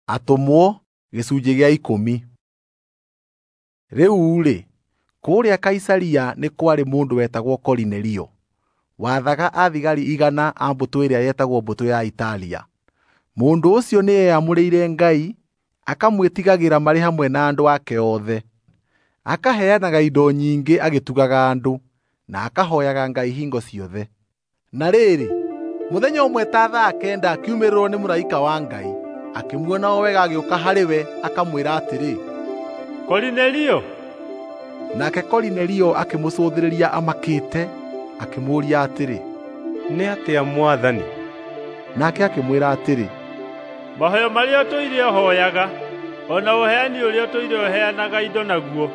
Atũmwo gĩcunjĩ gĩa 10. Rĩu-rĩ, kũrĩa Kaisaria nĩ kwarĩ mũndũ wetagwo Korinelio, wathaga athigari 100 a mbũtũ ĩrĩa yetagwo mbũtũ ya Italia. Mũndũ ũcio nĩ eamũrĩire Ngai, akamwĩtigagĩra marĩ hamwe na andũ ake othe. Akaheanaga indo nyingĩ agĩtugaga andũ, na akahoyaga Ngai hingo ciothe. Na rĩrĩ, mũthenya ũmwe ta thaa 9 akiumĩrĩrwo nĩ mũraika wa Ngai, akĩmuona o wega agĩũka harĩ we akamwĩra atĩrĩ, Korinelio. Nake Korinelio akĩmũcũthĩrĩria amakĩte, akĩmũũria atĩrĩ, Nĩ atĩa Mwathani? Nake akĩmwĩra atĩrĩ, Mahoya marĩa ũtũire ũhooyaga, o na ũheani ũrĩa ũtũire ũheanaga indo naguo,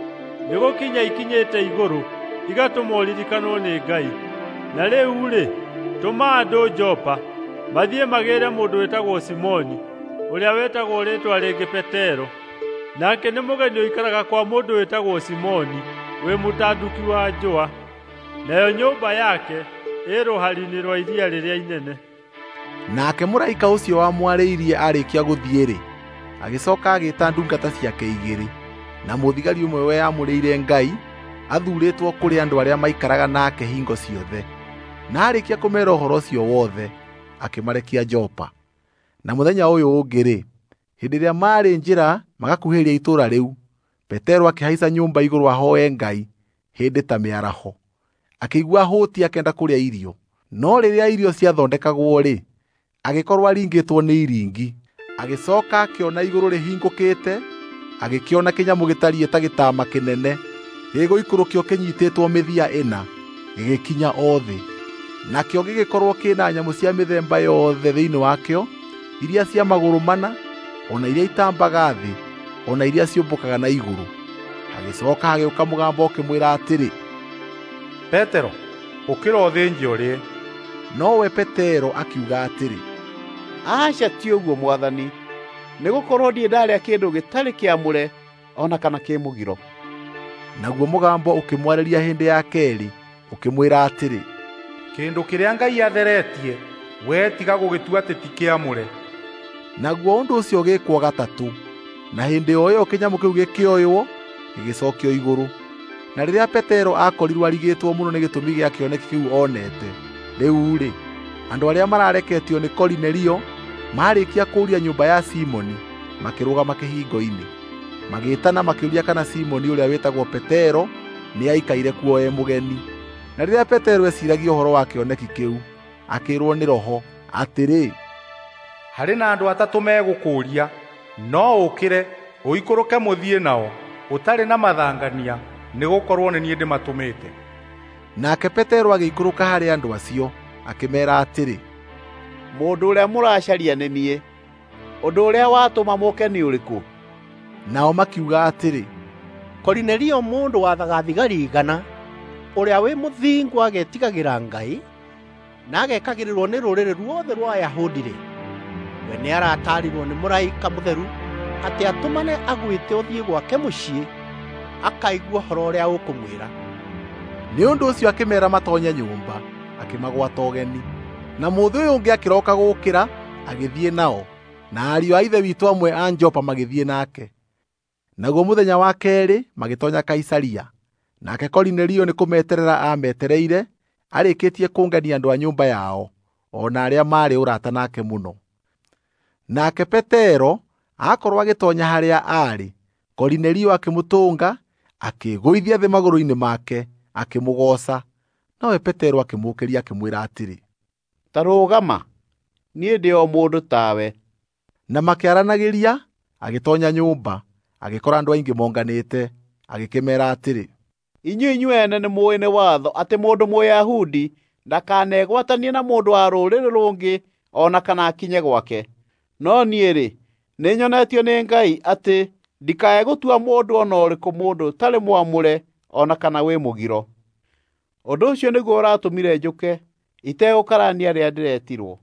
nĩgũkinya ikinyĩte igũrũ, igatũma ũririkanwo nĩ Ngai. Na rĩu-rĩ, tũma andũ Jopa, mathiĩ magĩĩre mũndũ wĩtagwo Simoni, ũrĩa wĩtagwo rĩĩtwa rĩngĩ Petero. Nake nĩ mũgeni ũikaraga kwa mũndũ wĩtagwo Simoni, wĩ mũtanduki wa njũa, nayo nyũmba yake ĩ rũhari-inĩ rwa iria rĩrĩa inene. Nake mũraika ũcio wamwarĩirie arĩkia gũthiĩ-rĩ, agĩcoka agĩĩta ndungata ciake 2 na mũthigari ũmwe weyamũrĩire Ngai, athuurĩtwo kũrĩ andũ arĩa maikaraga nake hingo ciothe. Na arĩkia kũmeera ũhoro ũcio wothe, akĩmarekia Jopa. Na mũthenya ũyũ ũngĩ-rĩ, hĩndĩ ĩrĩa maarĩ njĩra magakuhĩrĩria itũũra rĩu, Petero akĩhaica nyũmba igũrũ ahooe Ngai hĩndĩ ta mĩaraho. Akĩigua ahũũtiĩ akĩenda kũrĩa irio, no rĩrĩa irio ciathondekagwo-rĩ, agĩkorwo aringĩtwo nĩ iringi. Agĩcoka akĩona igũrũ rĩhingũkĩte, agĩkĩona kĩnyamũ gĩtariĩ ta gĩtama kĩnene gĩgũikũrũkio kĩnyiitĩtwo mĩthia 4, gĩgĩkinya o thĩ. Nakĩo gĩgĩkorwo kĩna nyamũ cia mĩthemba yothe thĩinĩ wakĩo, iria cia magũrũ 4, o na iria itambaga thĩ, o na iria ciũmbũkaga na igũrũ. Hagĩcoka hagĩũka mũgambo ũkĩmwĩra atĩrĩ, Petero, ũkĩra ũthĩnje ũrĩe. Nowe Petero akiuga atĩrĩ, Aca, ti ũguo Mwathani, nĩgũkorwo ndirĩ ndarĩa kĩndũ gĩtarĩ kĩamũre o na kana kĩ mũgiro. Naguo mũgambo ũkĩmwarĩria hĩndĩ ya keerĩ, ũkĩmwĩra atĩrĩ, Kĩndũ kĩrĩa Ngai atheretie, wee tiga gũgĩtua atĩ ti kĩamũre. Naguo ũndũ ũcio ũgĩĩkwo gatatũ, na hĩndĩ o ĩyo kĩnyamũ kĩu gĩkĩoywo, gĩgĩcokio igũrũ. Na rĩrĩa Petero aakorirwo arigĩtwo mũno nĩ gĩtũmi gĩa kĩoneki kĩu onete, rĩu-rĩ, andũ arĩa marareketio nĩ Korinelio maarĩkia kũũria nyũmba ya Simoni, makĩrũgama kĩhingo-inĩ. Magĩĩtana makĩũria kana Simoni ũrĩa wĩtagwo Petero nĩaikaire kuo e mũgeni. Na rĩrĩa Petero eeciiragia ũhoro wa kĩoneki kĩu, akĩĩrwo nĩ Roho atĩrĩ, Harĩ na andũ 3 megũkũũria, no ũkĩre ũikũrũke mũthiĩ nao, ũtarĩ na mathangania, nĩgũkorwo nĩ niĩ ndĩmatũmĩte. Nake Petero agĩikũrũka harĩ andũ acio, akĩmeera atĩrĩ, Mũndũ ũrĩa mũracaria nĩ niĩ. Ũndũ ũrĩa watũma mũũke nĩ ũrĩkũ? Nao makiuga atĩrĩ, Korinelio mũndũ wathaga thigari 100, ũrĩa wĩ mũthingu agetigagĩra Ngai, na agekagĩrĩrwo nĩ rũrĩrĩ ruothe rwa Ayahudi-rĩ, we nĩarataarirwo nĩ mũraika mũtheru atĩ atũmane agwĩte ũthiĩ gwake mũciĩ akaigue ũhoro ũrĩa ũkũmwĩra. Nĩ ũndũ ũcio akĩmeera matonye nyũmba, akĩmagwata ũgeni. Na mũthĩ ũyũ ũngĩ akĩroka gũũkĩra, agĩthiĩ nao, na ariũ a ithe witũ amwe a Jopa magĩthiĩ nake. Naguo mũthenya wa keerĩ magĩtoonya Kaisaria. Nake Korinelio nĩkũmeterera aametereire, arĩkĩtie kũngania andũ a nyũmba yao, o na arĩa maarĩ ũrata nake mũno. Nake Petero aakorwo agĩtoonya harĩa aarĩ, Korinelio akĩmũtũnga, akĩĩgũithia thĩ magũrũ-inĩ make, akĩmũgooca. Nowe Petero akĩmũũkĩria akĩmwĩra atĩrĩ, Ta rũgama, niĩ ndĩ o mũndũ tawe. Na makĩaranagĩria, agĩtoonya nyũmba, agĩkora andũ aingĩ monganĩte, agĩkĩmeera atĩrĩ, Inyuĩ inyuene nĩmũũĩ nĩ watho atĩ mũndũ Mũyahudi ndakanegwatanie na mũndũ wa rũrĩrĩ rũngĩ o na kana akinye gwake. No niĩ-rĩ, nĩnyonetio nĩ Ngai atĩ ndikae gũtua mũndũ o na ũrĩkũ mũndũ ũtarĩ mwamũre o na kana wĩ mũgiro. Ũndũ ũcio nĩguo ũratũmire njũke itegũkarania rĩrĩa ndĩretirwo.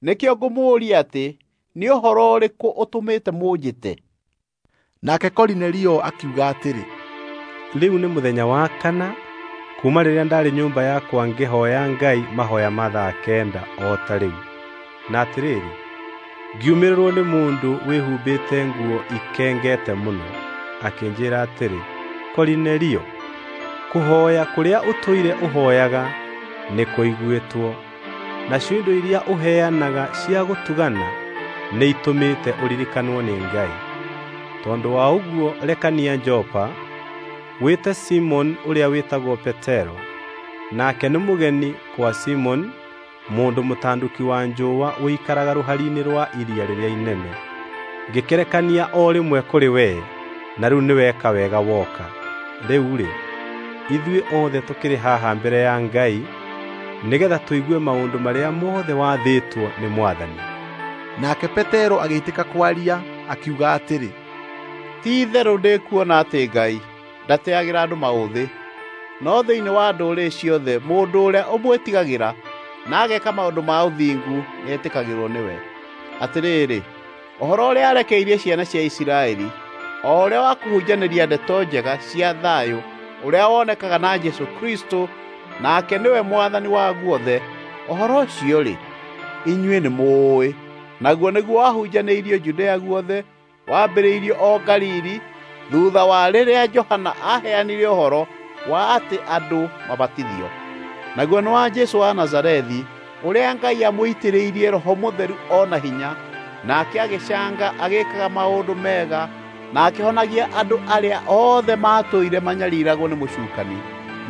Nĩkĩo ngũmũũria atĩ nĩ ũhoro ũrĩkũ ũtũmĩte mũnjĩte? Nake Korinelio akiuga atĩrĩ, Rĩu nĩ mũthenya wa 4 kuuma rĩrĩa ndaarĩ nyũmba yakwa ngĩhooya Ngai mahoya ma thaa 9 o ta rĩu. Na atĩrĩrĩ, Ngiumĩrĩrwo nĩ mũndũ wĩhumbĩte nguo ikengete mũno, akĩnjĩĩra atĩrĩ, 'Korinelio, kũhooya kũrĩa ũtũire ũhooyaga nĩkũiguĩtwo, nacio indo iria ũheanaga cia gũtugana nĩitũmĩte ũririkanwo nĩ Ngai. Tondũ wa ũguo rekania Jopa, wĩte Simoni ũrĩa wĩtagwo Petero, nake nĩ mũgeni kwa Simoni, mũndũ mũtanduki wa njũũa ũikaraga rũhari-inĩ rwa iria rĩrĩa inene. Ngĩkĩrekania o rĩmwe kũrĩ wee, na rĩu nĩweka wega woka. Rĩu-rĩ, ithuĩ othe tũkĩrĩ haha mbere ya Ngai nĩgeetha tũigue maũndũ marĩa mothe wathĩtwo nĩ Mwathani." Nake Petero agĩitĩka kwaria, akiuga atĩrĩ, Ti-itherũ ndĩkuona atĩ Ngai ndateagĩra andũ maũthĩ, no thĩinĩ wa ndũrĩrĩ ciothe mũndũ ũrĩa ũmwĩtigagĩra na ageka maũndũ ma ũthingu nĩetĩkagĩrwo nĩwe. Atĩrĩrĩ, ũhoro ũrĩa arekeirie ciana cia Isiraeli, o ũrĩa wa kũhunjanĩria ndeto njega cia thayũ ũrĩa wonekaga na Jesũ Kristũ, nake nĩwe Mwathani wa guothe, ũhoro ũcio-rĩ, inyuĩ nĩmũũĩ. Naguo nĩguo wahunjanĩirio Judea guothe, wambĩrĩirio o Galili, thutha wa rĩrĩa Johana aaheanire ũhoro wa atĩ andũ mabatithio. Naguo nĩ wa Jesũ wa Nazarethi, ũrĩa Ngai amũitĩrĩirie Roho Mũtheru o na hinya, nake agĩcanga agĩkaga maũndũ mega na akĩhonagia andũ arĩa othe maatũire manyariragwo nĩ mũcukani,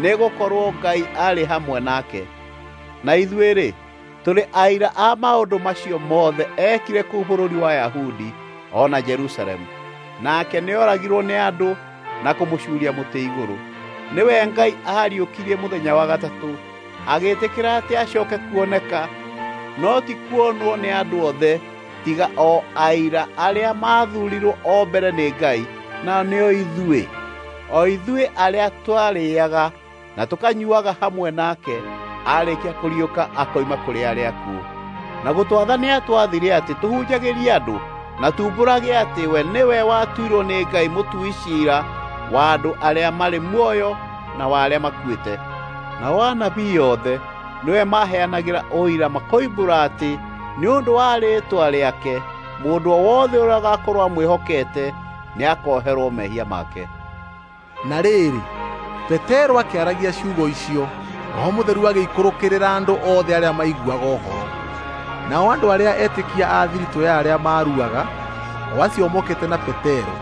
nĩgũkorwo Ngai aarĩ hamwe nake. Na ithuĩ-rĩ, tũrĩ aira a maũndũ macio mothe eekire kũu bũrũri wa Ayahudi o na Jerusalemu. Nake nĩoragirwo nĩ andũ na kũmũcuuria mũtĩ igũrũ. Nĩwe Ngai aariũkirie mũthenya wa gatatũ, agĩĩtĩkĩra atĩ acooke kuoneka, no ti kuonwo nĩ andũ othe, tiga o aira arĩa maathuurirwo o mbere nĩ Ngai, nao nĩo ithuĩ, o ithuĩ arĩa twarĩĩaga na tũkanyuuaga hamwe nake aarĩkia kũriũka akoima kũrĩ arĩa akuũ. Na gũtwatha nĩatwathire atĩ tũhunjagĩrie andũ na tuumbũrage atĩ we nĩwe watuirwo nĩ Ngai mũtui ciira wa andũ arĩa marĩ muoyo na wa arĩa makuĩte. Nao anabii othe nĩwe maheanagĩra ũira makoimbũra atĩ nĩ ũndũ wa rĩĩtwa rĩake mũndũ o wothe ũrĩa ũgaakorwo amwĩhokete nĩakoherwo mehia make. Na rĩrĩ, Petero akĩaragia ciugo icio, Roho Mũtheru agĩikũrũkĩrĩra andũ othe arĩa maiguaga ũhoro. Nao andũ arĩa etĩkia a thiritũ ya arĩa maaruaga, o acio mokĩte na Petero,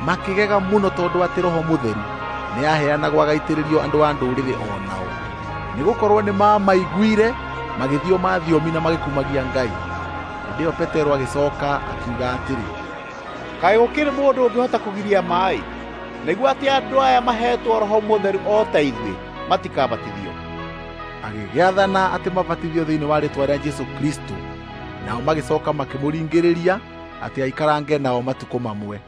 makĩgega mũno tondũ atĩ Roho Mũtheru nĩaheanagwo agaitĩrĩrio andũ a ndũrĩrĩ o nao. Nĩgũkorwo nĩmamaiguire magĩthioma thiomi na magĩkumagia Ngai. Hĩndĩ ĩyo Petero agĩcooka akiuga atĩrĩ, Kaĩ gũkĩrĩ mũndũ ũngĩhota kũgiria maaĩ nĩguo atĩ andũ aya maheetwo Roho Mũtheru o ta ithuĩ matikabatithio? Agĩgĩathana atĩ mabatithio thĩinĩ wa rĩĩtwa rĩa Jesũ Kristũ. Nao magĩcooka makĩmũringĩrĩria atĩ aikarange nao matukũ mamwe.